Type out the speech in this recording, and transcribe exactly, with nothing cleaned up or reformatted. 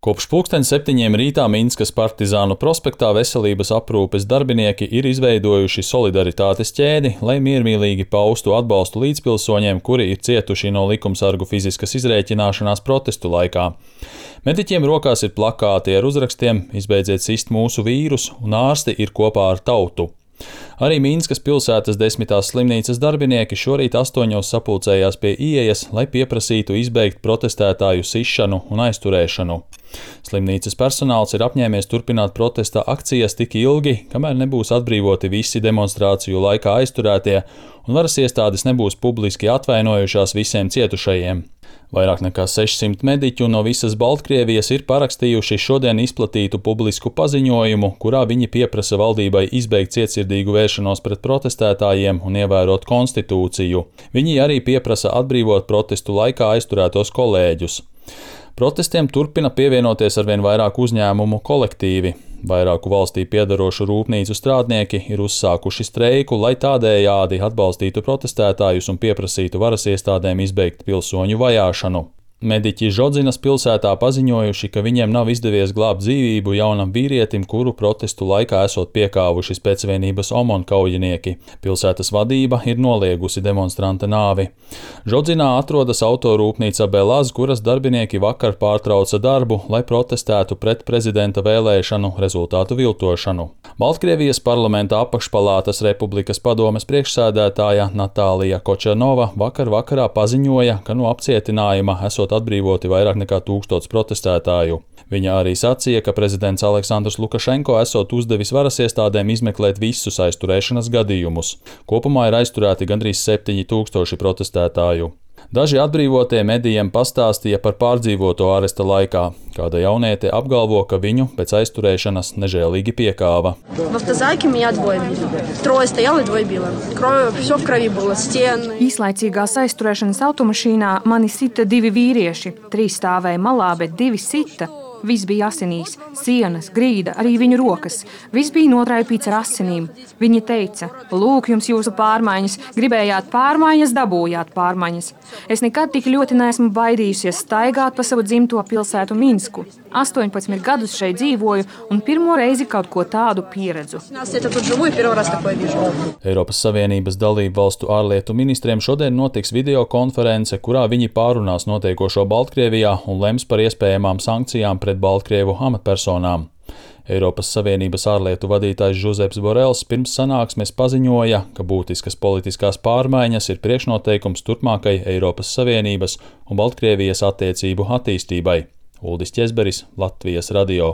Kopš pulksten septiņiem rītā Minskas Partizānu prospektā veselības aprūpes darbinieki ir izveidojuši solidaritātes ķēdi, lai miermīlīgi paustu atbalstu līdzpilsoņiem, kuri ir cietuši no likumsargu fiziskas izrēķināšanās protestu laikā. Mediķiem rokās ir plakāti ar uzrakstiem "Izbeidziet sist mūsu vīrus" un "Ārsti ir kopā ar tautu". Arī Minskas pilsētas desmitās slimnīcas darbinieki šorīt astoņos sapulcējās pie ieejas, lai pieprasītu izbeigt protestētāju sišanu un aizturēšanu. Slimnīcas personāls ir apņēmies turpināt protesta akcijas tik ilgi, kamēr nebūs atbrīvoti visi demonstrāciju laikā aizturētie un varas iestādes nebūs publiski atvainojušās visiem cietušajiem. Vairāk nekā sešsimt mediķu no visas Baltkrievijas ir parakstījuši šodien izplatītu publisku paziņojumu, kurā viņi pieprasa valdībai izbeigt cietsirdīgu vēršanos pret protestētājiem un ievērot konstitūciju. Viņi arī pieprasa atbrīvot protestu laikā aizturētos kolēģus. Protestiem turpina pievienoties arvien vairāk uzņēmumu kolektīvi. Vairāku valstī piedarošu rūpnīcu strādnieki ir uzsākuši streiku, lai tādējādi atbalstītu protestētājus un pieprasītu varas iestādēm izbeigt pilsoņu vajāšanu. Mediķi Žodzinas pilsētā paziņojuši, ka viņiem nav izdevies glābt dzīvību jaunam vīrietim, kuru protestu laikā esot piekāvuši Spēcvienības OMON kaujinieki. Pilsētas vadība ir noliegusi demonstranta nāvi. Žodzinā atrodas autorūpnīca Belaz, kuras darbinieki vakar pārtrauca darbu, lai protestētu pret prezidenta vēlēšanu rezultātu viltošanu. Baltkrievijas parlamenta apakšpalātas Republikas padomes priekšsēdētāja Natālija Kočanova vakar vakarā paziņoja, ka no apcietinājuma esot atbrīvoti vairāk nekā tūkstots protestētāju. Viņa arī sacīja, ka prezidents Aleksandrs Lukašenko esot uzdevis varas iestādēm izmeklēt visus aizturēšanas gadījumus. Kopumā ir aizturēti gandrīz septiņi tūkstoši protestētāju. Daži atbrīvotie medijiem pastāstīja par pārdzīvoto aresta laikā. Kāda jauniete apgalvo, ka viņu pēc aizturēšanas nežēlīgi piekāva. Īslaicīgās aizturēšanas automašīnā mani sita divi vīrieši. Trīs stāvēja malā, bet divi sita. Viss bija asinīs, sienas, grīda, arī viņu rokas. Viss bija notraipīts ar asinīm. Viņa teica: "Lūk, jums jūsu pārmaiņas. Gribējāt pārmaiņas, dabūjāt pārmaiņas." Es nekad tik ļoti neesmu baidījusies staigāt pa savu dzimto pilsētu Minsku. astoņpadsmit gadus šeit dzīvoju un pirmo reizi kaut ko tādu pieredzu. Eiropas Savienības dalību valstu ārlietu ministriem šodien notiks videokonference, kurā viņi pārunās notiekošo Baltkrievijā un lems par iespējamām sankcijām pret Baltkrievu amatpersonām. Eiropas Savienības ārlietu vadītājs Žuzeps Borels pirms sanāksmes paziņoja, ka būtiskas politiskās pārmaiņas ir priekšnoteikums turpmākai Eiropas Savienības un Baltkrievijas attiecību attīstībai. Uldis Ķezberis, Latvijas radio.